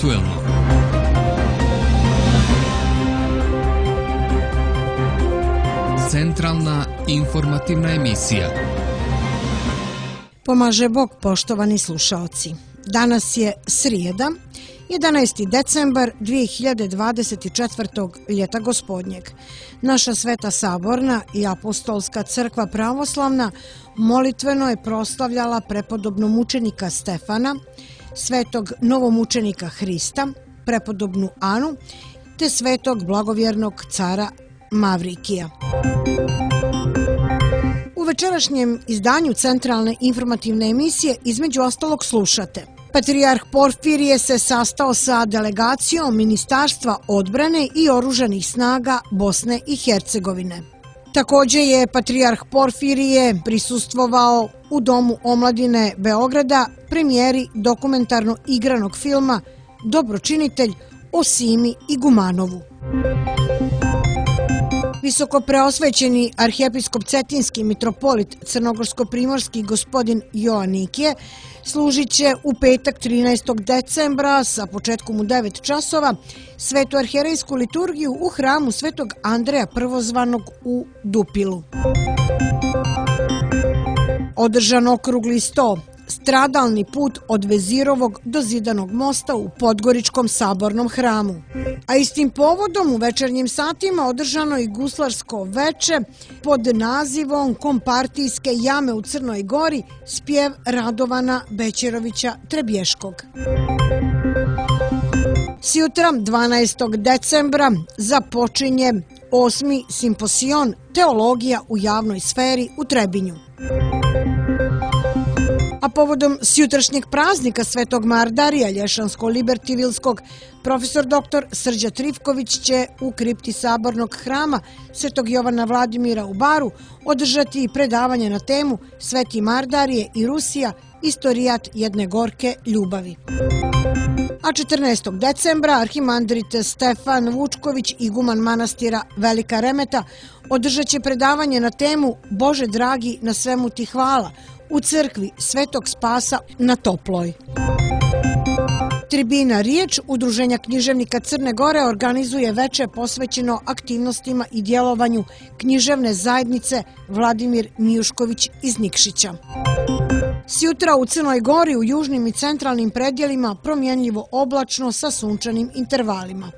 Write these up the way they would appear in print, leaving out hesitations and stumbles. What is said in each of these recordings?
aktuelno. Centralna informativna emisija. Pomaže Bog, poštovani slušaoci. Danas je srijeda, 11. decembar 2024. ljeta gospodnjeg. Naša Sveta Saborna i Apostolska crkva pravoslavna molitveno je proslavljala prepodobnog mučenika Stefana, svetog novomučenika Hrista, prepodobnu Anu, te svetog blagovjernog cara Mavrikija. U večerašnjem izdanju Centralne informativne emisije između ostalog slušate: Patrijarh Porfirije se sastao sa delegacijom Ministarstva odbrane i oružanih snaga Bosne i Hercegovine. Također je Patrijarh Porfirije prisustvovao u Domu omladine Beograda premijeri dokumentarno igranog filma Dobročinitelj o Simi Igumanovu. Visoko preosvećeni arhijepiskop Cetinski mitropolit crnogorsko-primorski gospodin Joanikije služit će u petak 13. decembra sa početkom u 9 časova svetu arhijerejsku liturgiju u hramu svetog Andreja Prvozvanog u Dupilu. Održan okrugli sto, stradalni put od Vezirovog do Zidanog mosta u Podgoričkom sabornom hramu. A istim povodom u večernjim satima održano i guslarsko veče pod nazivom Kompartijske jame u Crnoj Gori, spjev Radovana Bećerovića Trebješkog. Sjutra 12. decembra započinje 8. simposion Teologija u javnoj sferi u Trebinju. A povodom sjutrašnjeg praznika Svetog Mardarija Lješansko-Libertivilskog, profesor dr. Srđa Trifković će u kripti sabornog hrama Svetog Jovana Vladimira u Baru održati predavanje na temu Sveti Mardarije i Rusija, istorijat jedne gorke ljubavi. A 14. decembra arhimandrit Stefan Vučković, iguman manastira Velika Remeta, održat će predavanje na temu Bože dragi, na svemu ti hvala u crkvi Svetog Spasa na Toploj. Tribina Riječ Udruženja književnika Crne Gore organizuje veče posvećeno aktivnostima i djelovanju književne zajednice Vladimir Mijušković iz Nikšića. Sjutra u Crnoj Gori u južnim i centralnim predjelima promjenljivo oblačno sa sunčanim intervalima.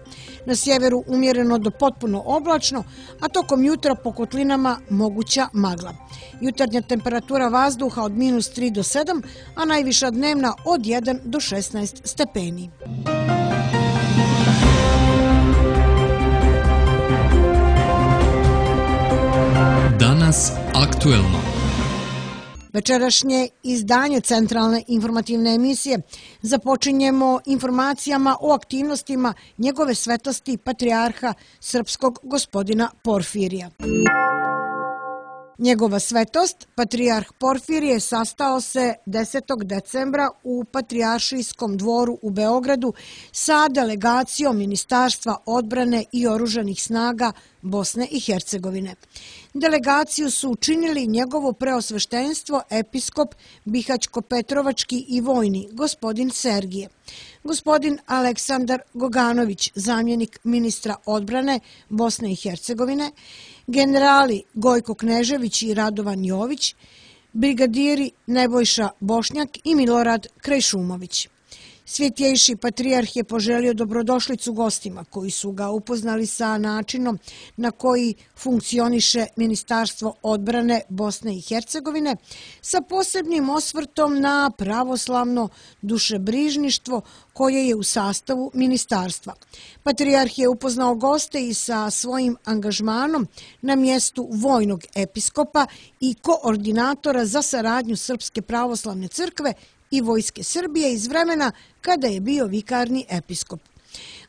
Na sjeveru umjereno do potpuno oblačno, a tokom jutra po kotlinama moguća magla. Jutarnja temperatura vazduha od -3 do 7, a najviša dnevna od 1 do 16 stepeni. Danas aktuelno. Večerašnje izdanje Centralne informativne emisije započinjemo informacijama o aktivnostima njegove svetosti Patrijarha Srpskog gospodina Porfirija. Njegova svetost, Patrijarh Porfirije, sastao se 10. decembra u Patrijaršijskom dvoru u Beogradu sa delegacijom Ministarstva odbrane i oružanih snaga Bosne i Hercegovine. Delegaciju su učinili njegovo preosveštenstvo episkop Bihaćko-Petrovački i vojni, gospodin Sergije, gospodin Aleksandar Goganović, zamjenik ministra odbrane Bosne i Hercegovine, generali Gojko Knežević i Radovan Jović, brigadiri Nebojša Bošnjak i Milorad Krajšumović. Svjetjejši patrijarh je poželio dobrodošlicu gostima koji su ga upoznali sa načinom na koji funkcioniše Ministarstvo odbrane Bosne i Hercegovine, sa posebnim osvrtom na pravoslavno dušebrižništvo koje je u sastavu ministarstva. Patrijarh je upoznao goste i sa svojim angažmanom na mjestu vojnog episkopa i koordinatora za saradnju Srpske pravoslavne crkve i Vojske Srbije iz vremena kada je bio vikarni episkop.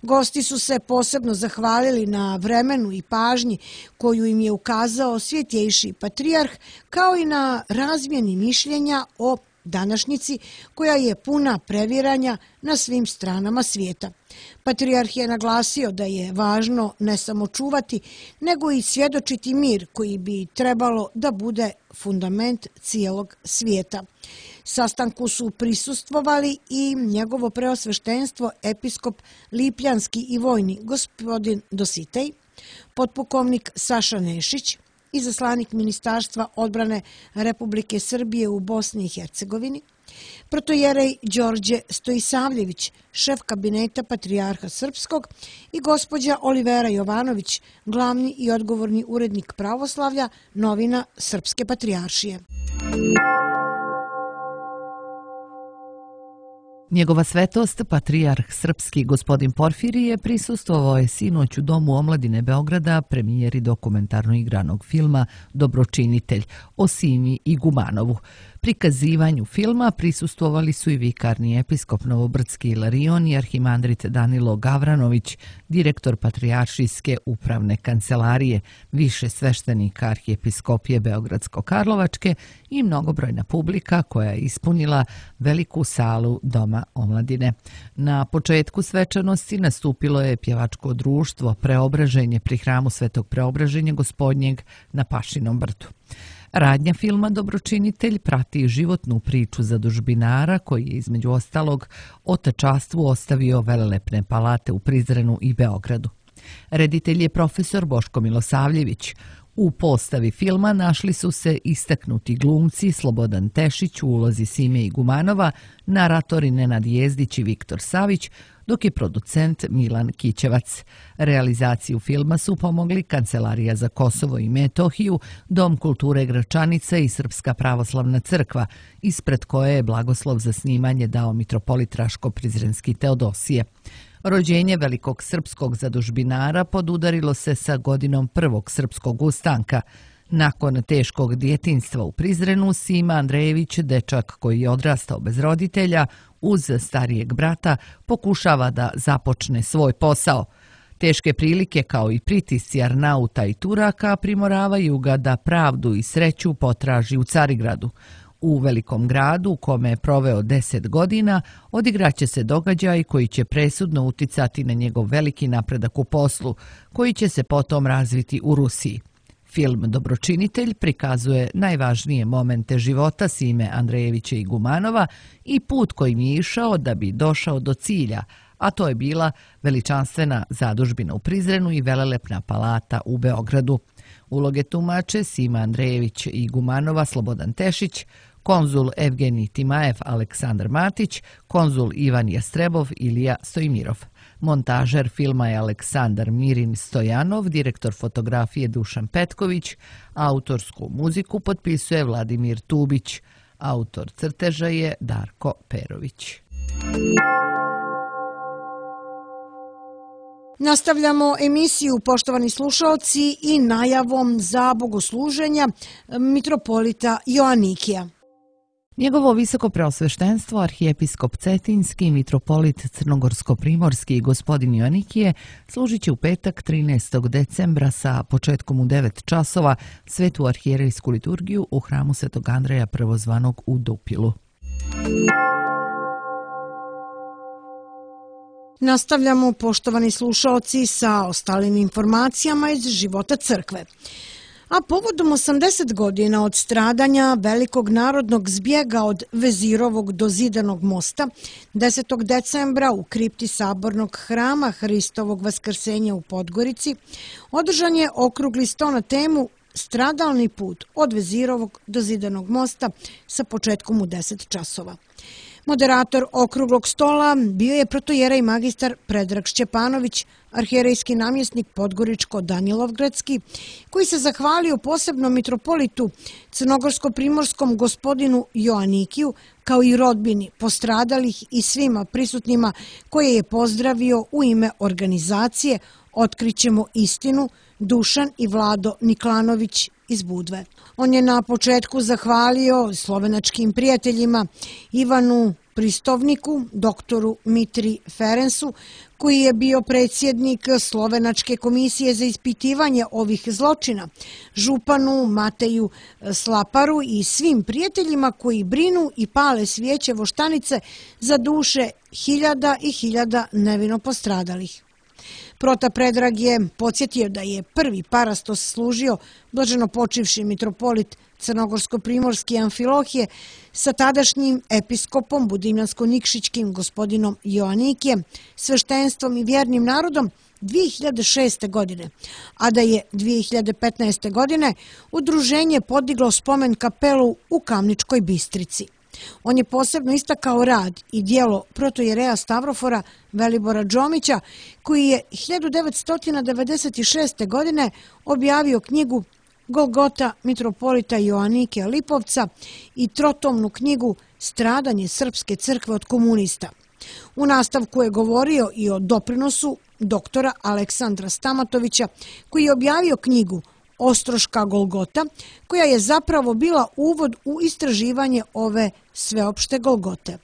Gosti su se posebno zahvalili na vremenu i pažnji koju im je ukazao svjetjejši patrijarh, kao i na razmjeni mišljenja o današnjici koja je puna previranja na svim stranama svijeta. Patrijarh je naglasio da je važno ne samo čuvati, nego i svjedočiti mir koji bi trebalo da bude fundament cijelog svijeta. Sastanku su prisustvovali i njegovo preosveštenstvo episkop Lipljanski i vojni gospodin Dositej, potpukovnik Saša Nešić, izaslanik Ministarstva odbrane Republike Srbije u Bosni i Hercegovini, protojerej Đorđe Stojisavljević, šef kabineta Patrijarha Srpskog i gospođa Olivera Jovanović, glavni i odgovorni urednik pravoslavlja novina Srpske patrijaršije. Njegova svetost, patrijarh srpski gospodin Porfirije, prisustvovao je sinoć u Domu omladine Beograda premijeri dokumentarno igranog filma Dobročinitelj o Simi Igumanovu. Prikazivanju filma prisustvovali su i vikarni episkop Novobrdski Ilarion i arhimandrit Danilo Gavranović, direktor Patrijaršijske upravne kancelarije, više sveštenika arhijepiskopije Beogradsko-Karlovačke i mnogobrojna publika koja je ispunila veliku salu Doma omladine. Na početku svečanosti nastupilo je pjevačko društvo Preobraženje pri hramu Svetog Preobraženja Gospodnjeg na Pašinom brdu. Radnja filma Dobročinitelj prati životnu priču zadužbinara koji je između ostalog otečastvu ostavio velelepne palate u Prizrenu i Beogradu. Reditelj je profesor Boško Milosavljević. U postavi filma našli su se istaknuti glumci Slobodan Tešić u ulozi Sime Igumanova, naratori Nenad Jezdić i Viktor Savić, dok je producent Milan Kićevac. Realizaciju filma su pomogli Kancelarija za Kosovo i Metohiju, Dom kulture Gračanica i Srpska pravoslavna crkva, ispred koje je blagoslov za snimanje dao mitropolit Raško-Prizrenski Teodosije. Rođenje velikog srpskog zadužbinara podudarilo se sa godinom prvog srpskog ustanka. Nakon teškog djetinjstva u Prizrenu, Sima Andrejević, dečak koji je odrastao bez roditelja, uz starijeg brata, pokušava da započne svoj posao. Teške prilike kao i pritisci Arnauta i Turaka primoravaju ga da pravdu i sreću potraži u Carigradu. U velikom gradu, u kome je proveo 10 godina, odigraće se događaj koji će presudno uticati na njegov veliki napredak u poslu, koji će se potom razviti u Rusiji. Film Dobročinitelj prikazuje najvažnije momente života Sime Andrejevića Igumanova i put kojim je išao da bi došao do cilja, a to je bila veličanstvena zadužbina u Prizrenu i velelepna palata u Beogradu. Uloge tumače Sima Andrejević Igumanova Slobodan Tešić, konzul Evgenij Timajev Aleksandar Matić, konzul Ivan Jastrebov Ilija Stojmirov. Montažer filma je Aleksandar Mirin Stojanov, direktor fotografije Dušan Petković, autorsku muziku potpisuje Vladimir Tubić, autor crteža je Darko Perović. Nastavljamo emisiju, poštovani slušalci, i najavom za bogosluženja mitropolita Joanikija. Njegovo visoko preosveštenstvo, arhijepiskop Cetinski, mitropolit Crnogorsko-primorski gospodin Joanikije, služit će u petak 13. decembra sa početkom u 9 časova svetu arhijerejsku liturgiju u hramu Svetog Andreja prvozvanog u Dupilu. Nastavljamo, poštovani slušalci, sa ostalim informacijama iz života crkve. A povodom 80 godina od stradanja velikog narodnog zbjega od Vezirovog do Zidanog mosta, 10. decembra u kripti Sabornog hrama Hristovog vaskrsenja u Podgorici, održan je okrugli sto na temu Stradalni put od Vezirovog do Zidanog mosta sa početkom u 10 časova. Moderator okruglog stola bio je protojerej magistar Predrag Šćepanović, arhijerejski namjesnik Podgoričko-Danilovgradski, koji se zahvalio posebno mitropolitu crnogorsko-primorskom gospodinu Joanikiju, kao i rodbini postradalih i svima prisutnima, koje je pozdravio u ime organizacije Otkrićemo istinu, Dušan i Vlado Niklanović iz Budve. On je na početku zahvalio slovenačkim prijateljima Ivanu pristovniku, doktoru Mitri Ferensu, koji je bio predsjednik Slovenačke komisije za ispitivanje ovih zločina, županu Mateju Slaparu i svim prijateljima koji brinu i pale svijeće voštanice za duše hiljada i hiljada nevino postradalih. Prota Predrag je podsjetio da je prvi parastos služio blaženo počivši mitropolit Crnogorsko-primorski Amfilohije sa tadašnjim episkopom Budimljansko-Nikšićkim gospodinom Joanikijem, sveštenstvom i vjernim narodom 2006. godine, a da je 2015. godine udruženje podiglo spomen kapelu u Kamničkoj Bistrici. On je posebno istakao rad i djelo protojereja Stavrofora Velibora Đomića, koji je 1996. godine objavio knjigu Golgota mitropolita Joanike Lipovca i trotomnu knjigu Stradanje Srpske crkve od komunista. U nastavku je govorio i o doprinosu doktora Aleksandra Stamatovića, koji je objavio knjigu Ostroška Golgota, koja je zapravo bila uvod u istraživanje ove sveopšte Golgote.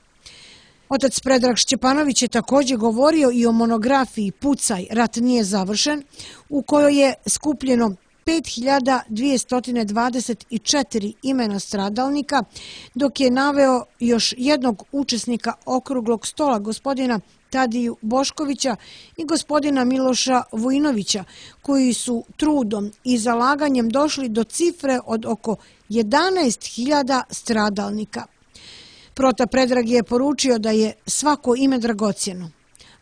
Otac Predrag Šćepanović je također govorio i o monografiji Pucaj, rat nije završen, u kojoj je skupljeno 5224 imena stradalnika, dok je naveo još jednog učesnika okruglog stola, gospodina Tadiju Boškovića i gospodina Miloša Vujinovića, koji su trudom i zalaganjem došli do cifre od oko 11.000 stradalnika. Prota Predrag je poručio da je svako ime dragocjeno.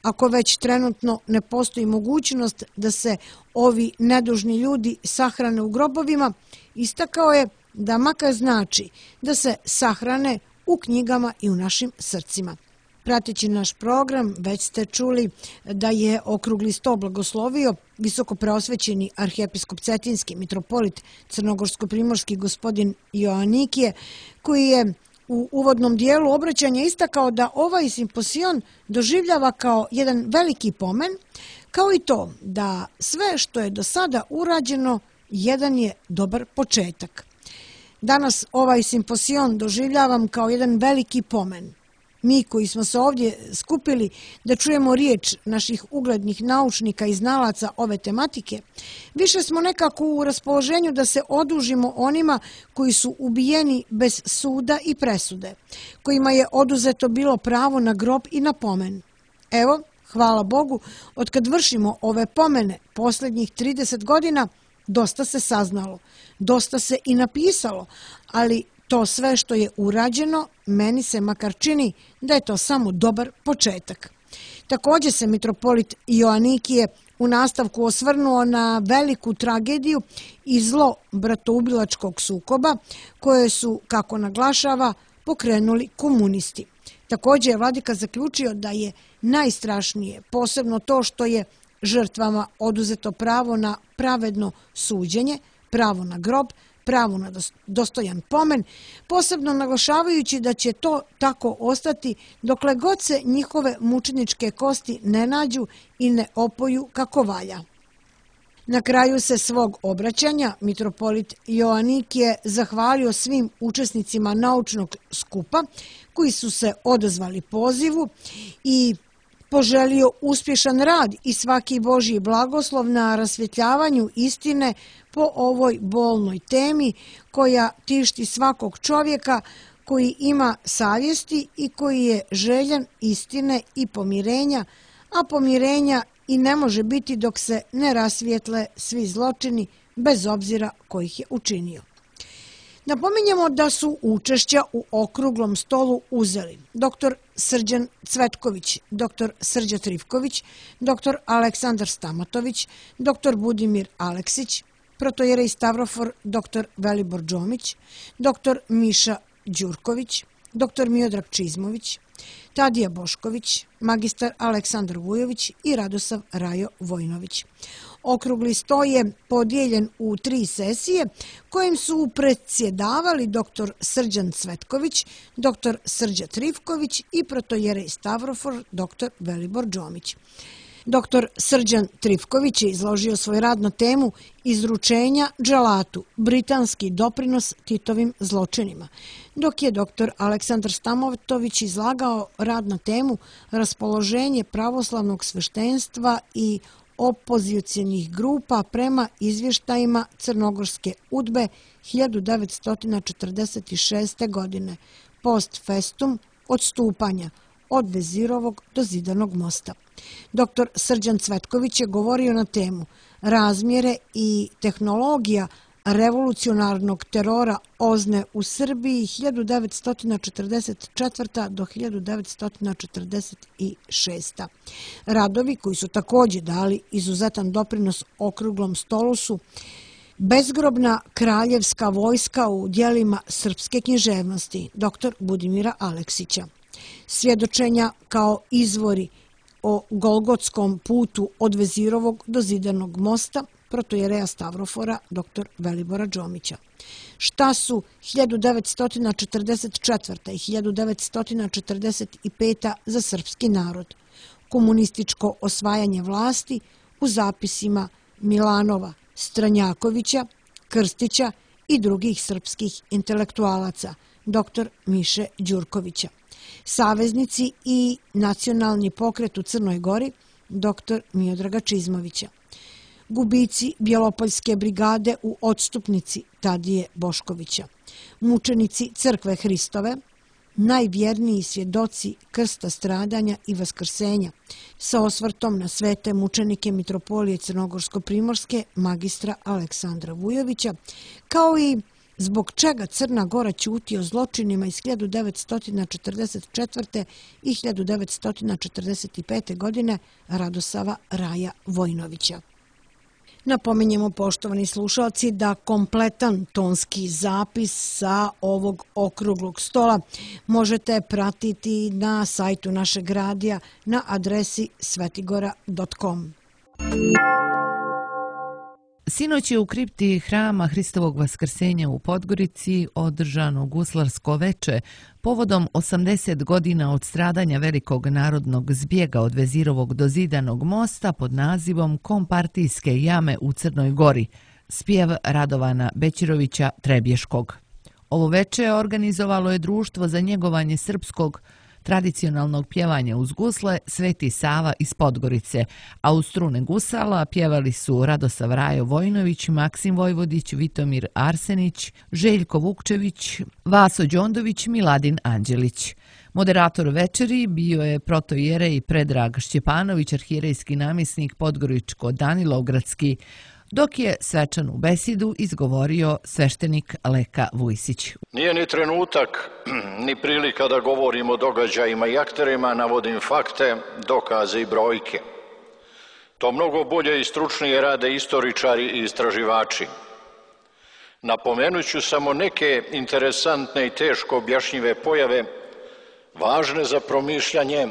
Ako već trenutno ne postoji mogućnost da se ovi nedužni ljudi sahrane u grobovima, istakao je da makar znači da se sahrane u knjigama i u našim srcima. Prateći naš program, već ste čuli da je okrugli sto blagoslovio visoko preosvećeni arhijepiskop Cetinski mitropolit Crnogorsko-primorski gospodin Joanikije, koji je u uvodnom dijelu obraćanja istakao da ovaj simposion doživljava kao jedan veliki pomen, kao i to da sve što je do sada urađeno jedan je dobar početak. Danas ovaj simposion doživljavam kao jedan veliki pomen. Mi koji smo se ovdje skupili da čujemo riječ naših uglednih naučnika i znalaca ove tematike, više smo nekako u raspoloženju da se odužimo onima koji su ubijeni bez suda i presude, kojima je oduzeto bilo pravo na grob i na pomen. Evo, hvala Bogu, otkad vršimo ove pomene posljednjih 30 godina, dosta se saznalo, dosta se i napisalo, ali to sve što je urađeno, meni se makar čini da je to samo dobar početak. Također se mitropolit Joanikije u nastavku osvrnuo na veliku tragediju i zlo bratoubilačkog sukoba koje su, kako naglašava, pokrenuli komunisti. Također je vladika zaključio da je najstrašnije posebno to što je žrtvama oduzeto pravo na pravedno suđenje, pravo na grob, pravo na dostojan pomen, posebno naglašavajući da će to tako ostati dokle god se njihove mučeničke kosti ne nađu i ne opoju kako valja. Na kraju se svog obraćanja mitropolit Joanikije zahvalio svim učesnicima naučnog skupa koji su se odazvali pozivu i poželio uspješan rad i svaki Božji blagoslov na rasvjetljavanju istine po ovoj bolnoj temi koja tišti svakog čovjeka koji ima savjesti i koji je željan istine i pomirenja, a pomirenja i ne može biti dok se ne rasvijetle svi zločini bez obzira ko ih je učinio. Napominjemo da su učešća u okruglom stolu uzeli dr. Srđan Cvetković, dr. Srđa Trivković, dr. Aleksandar Stamatović, dr. Budimir Aleksić, protojerej Stavrofor dr. Velibor Đomić, dr. Miša Đurković, dr. Miodrag Čizmović, Tadija Bošković, magistar Aleksandar Vujović i Radosav Rajo Vojnović. Okrugli sto je podijeljen u 3 sesije kojim su predsjedavali dr. Srđan Cvetković, dr. Srđa Trivković i protojerej Stavrofor dr. Velibor Đomić. Dr. Srđan Trifković je izložio svoj rad na temu Izručenja dželatu, britanski doprinos Titovim zločinima, dok je dr. Aleksandar Stamatović izlagao rad na temu Raspoloženje pravoslavnog sveštenstva i opozicijenih grupa prema izvještajima Crnogorske udbe 1946. godine, post festum odstupanja od Vezirovog do Zidanog mosta. Dr. Srđan Cvetković je govorio na temu Razmjere i tehnologija revolucionarnog terora OZNE u Srbiji 1944. do 1946. Radovi koji su također dali izuzetan doprinos okruglom stolu su Bezgrobna kraljevska vojska u dijelima srpske književnosti dr. Budimira Aleksića, Svjedočenja kao izvori o Golgotskom putu od Vezirovog do Zidanog mosta protojereja Stavrofora dr. Velibora Đomića. Šta su 1944. i 1945. za srpski narod? Komunističko osvajanje vlasti u zapisima Milanova, Stranjakovića, Krstića i drugih srpskih intelektualaca, dr. Miše Đurkovića. Saveznici i nacionalni pokret u Crnoj Gori, dr. Miodraga Čizmovića. Gubici Bjelopoljske brigade u odstupnici Tadije Boškovića. Mučenici Crkve Hristove, najvjerniji svjedoci krsta stradanja i vaskrsenja, sa osvrtom na svete mučenike Mitropolije Crnogorsko-Primorske magistra Aleksandra Vujovića, kao i zbog čega Crna Gora ćuti o zločinima iz 1944. i 1945. godine Radosava Raja Vojnovića. Napominjemo, poštovani slušalci, da kompletan tonski zapis sa ovog okruglog stola možete pratiti na sajtu našeg radija na adresi svetigora.com. Sinoć je u kripti Hrama Hristovog vaskrsenja u Podgorici održano guslarsko veče povodom 80 godina od stradanja velikog narodnog zbjega od Vezirovog do Zidanog mosta pod nazivom Kompartijske jame u Crnoj Gori, spjev Radovana Bećirovića Trebješkog. Ovo veče organizovalo je Društvo za njegovanje srpskog tradicionalnog pjevanja uz gusle Sveti Sava iz Podgorice, a uz strune gusala pjevali su Radosav Rajo Vojnović, Maksim Vojvodić, Vitomir Arsenić, Željko Vukčević, Vaso Đondović, Miladin Anđelić. Moderator večeri bio je protoijerej Predrag Šćepanović, arhierejski namjesnik Podgoričko-Danilovgradski, dok je svečanu besedu izgovorio sveštenik Leka Vujsić. Nije ni trenutak, ni prilika da govorim o događajima i akterima, navodim fakte, dokaze i brojke. To mnogo bolje i stručnije rade istoričari i istraživači. Napomenut ću samo neke interesantne i teško objašnjive pojave, važne za promišljanje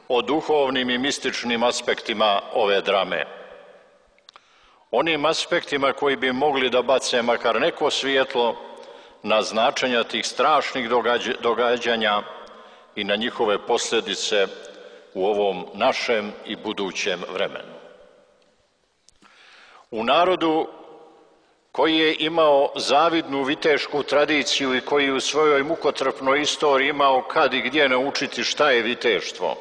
o duhovnim i mističnim aspektima ove drame. Onim aspektima koji bi mogli da bace makar neko svjetlo na značenja tih strašnih događanja i na njihove posljedice u ovom našem i budućem vremenu. U narodu koji je imao zavidnu vitešku tradiciju i koji u svojoj mukotrpnoj istoriji imao kad i gdje naučiti šta je viteštvo,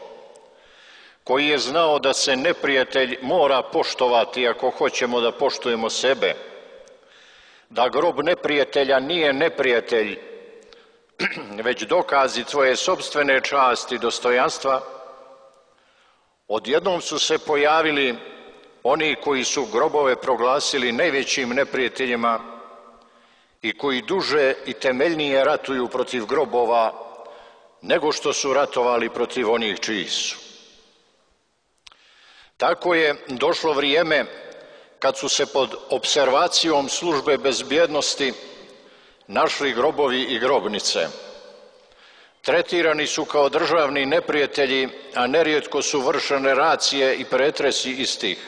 koji je znao da se neprijatelj mora poštovati ako hoćemo da poštujemo sebe, da grob neprijatelja nije neprijatelj, već dokazi tvoje sopstvene časti i dostojanstva, odjednom su se pojavili oni koji su grobove proglasili najvećim neprijateljima i koji duže i temeljnije ratuju protiv grobova nego što su ratovali protiv onih čiji su. Tako je došlo vrijeme kad su se pod opservacijom službe bezbjednosti našli grobovi i grobnice. Tretirani su kao državni neprijatelji, a nerijetko su vršene racije i pretresi istih,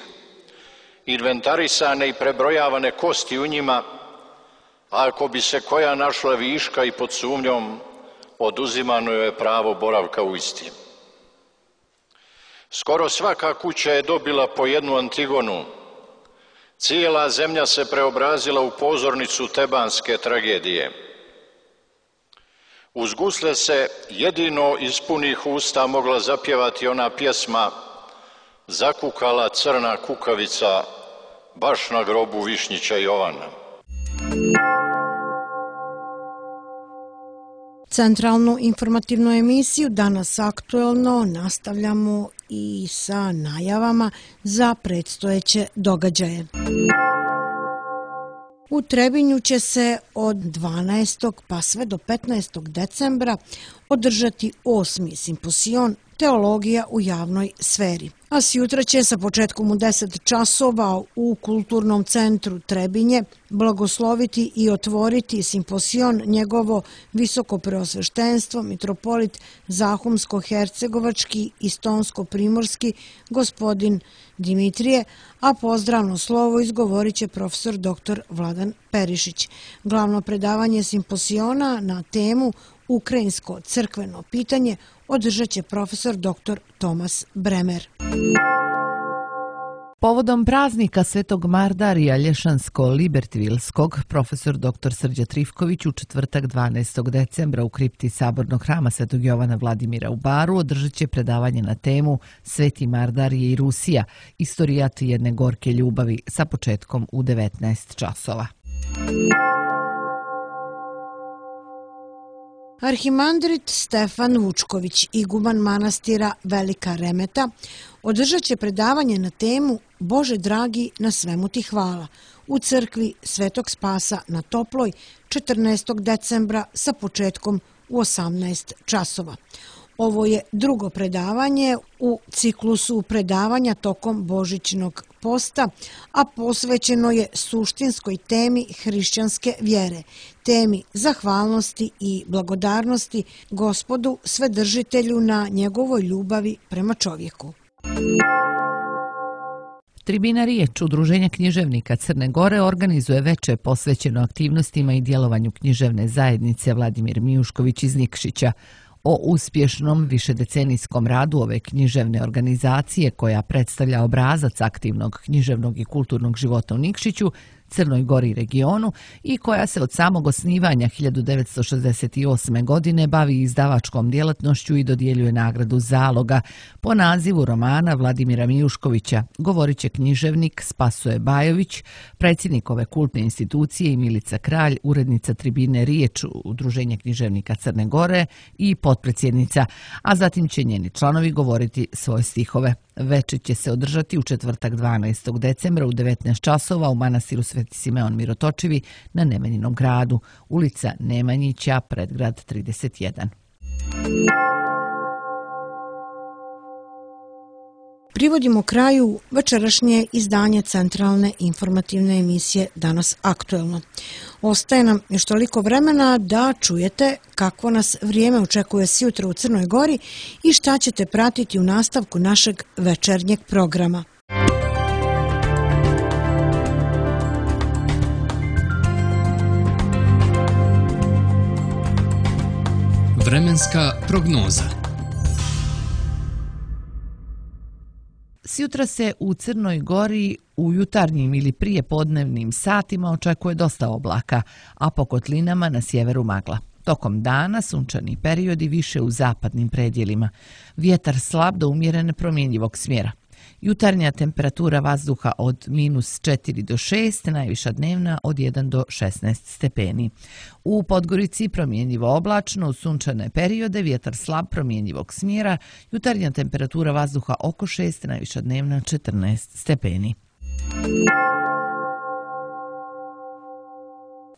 inventarisane i prebrojavane kosti u njima, a ako bi se koja našla viška i pod sumnjom, oduzimano je pravo boravka u istim. Skoro svaka kuća je dobila po jednu Antigonu. Cijela zemlja se preobrazila u pozornicu tebanske tragedije. Uz gusle se jedino iz punih usta mogla zapjevati ona pjesma Zakukala crna kukavica baš na grobu Višnjića Jovana. Centralnu informativnu emisiju Danas aktuelno nastavljamo i sa najavama za predstojeće događaje. U Trebinju će se od 12. pa sve do 15. decembra održati 8. simpozion Teologija u javnoj sferi. A sjutra će sa početkom u 10 časova u Kulturnom centru Trebinje blagosloviti i otvoriti simpozion njegovo visokopreosveštenstvo mitropolit Zahumsko-hercegovački i Stonsko-primorski gospodin Dimitrije, a pozdravno slovo izgovorit će profesor dr. Vladan Perišić. Glavno predavanje simpoziona na temu Ukrajinsko crkveno pitanje održat će profesor dr. Tomas Bremer. Povodom praznika Svetog Mardarija Lješansko-Libertvilskog, profesor dr. Srđa Trifković u četvrtak 12. decembra u kripti Sabornog hrama Svetog Jovana Vladimira u Baru održat će predavanje na temu Sveti Mardarije i Rusija, istorijat jedne gorke ljubavi sa početkom u 19 časova. Arhimandrit Stefan Vučković, iguman manastira Velika Remeta, održat će predavanje na temu Bože dragi, na svemu ti hvala u crkvi Svetog Spasa na Toploj 14. decembra sa početkom u 18 časova. Ovo je drugo predavanje u ciklusu predavanja tokom Božićnog posta, a posvećeno je suštinskoj temi hrišćanske vjere, temi zahvalnosti i blagodarnosti Gospodu Svedržitelju na njegovoj ljubavi prema čovjeku. Tribina Riječ, Udruženja književnika Crne Gore, organizuje veče posvećeno aktivnostima i djelovanju književne zajednice Vladimir Mijušković iz Nikšića. O uspješnom višedecenijskom radu ove književne organizacije, koja predstavlja obrazac aktivnog književnog i kulturnog života u Nikšiću, Crnoj Gori i regionu i koja se od samog osnivanja 1968. godine bavi izdavačkom djelatnošću i dodjeljuje nagradu Zaloga po nazivu romana Vladimira Mijuškovića, govorit će književnik Spasoje Bajović, predsjednik ove kultne institucije i Milica Kralj, urednica Tribine Riječ, Udruženja književnika Crne Gore i potpredsjednica, a zatim će njeni članovi govoriti svoje stihove. Večer će se održati u četvrtak 12. decembra u 19 časova u manastiru Sveti Simeon Mirotočivi na Nemanjinom gradu, ulica Nemanjića, predgrad 31. Privodimo kraju večerašnje izdanje centralne informativne emisije Danas aktuelno. Ostaje nam još toliko vremena da čujete kako nas vrijeme očekuje sjutra u Crnoj Gori i šta ćete pratiti u nastavku našeg večernjeg programa. Vremenska prognoza. Sjutra se u Crnoj Gori u jutarnjim ili prijepodnevnim satima očekuje dosta oblaka, a po kotlinama na sjeveru magla. Tokom dana sunčani periodi više u zapadnim predjelima. Vjetar slab do umjerene promjenjivog smjera. Jutarnja temperatura vazduha od -4 do 6, najviša dnevna od 1 do 16 stepeni. U Podgorici promjenjivo oblačno, u sunčane periode vjetar slab promjenjivog smjera, jutarnja temperatura vazduha oko 6, najviša dnevna 14 stepeni.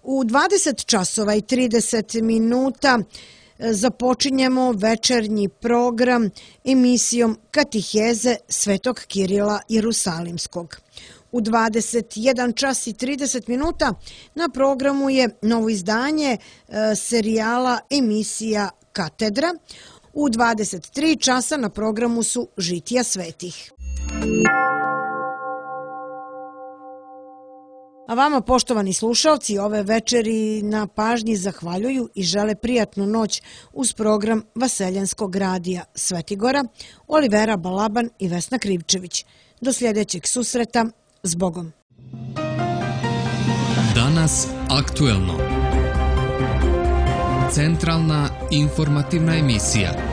U 20 časova i 30 minuta započinjemo večernji program emisijom Katiheze Svetog Kirila Jerusalimskog. U 21 čas i 30 minuta na programu je novo izdanje serijala emisija Katedra. U 23 časa na programu su Žitija svetih. A vama, poštovani slušalci, ove večeri na pažnji zahvaljuju i žele prijatnu noć uz program Vaseljanskog radija Svetigora, Olivera Balaban i Vesna Krivčević. Do sljedećeg susreta, zbogom. Danas aktuelno. Centralna informativna emisija.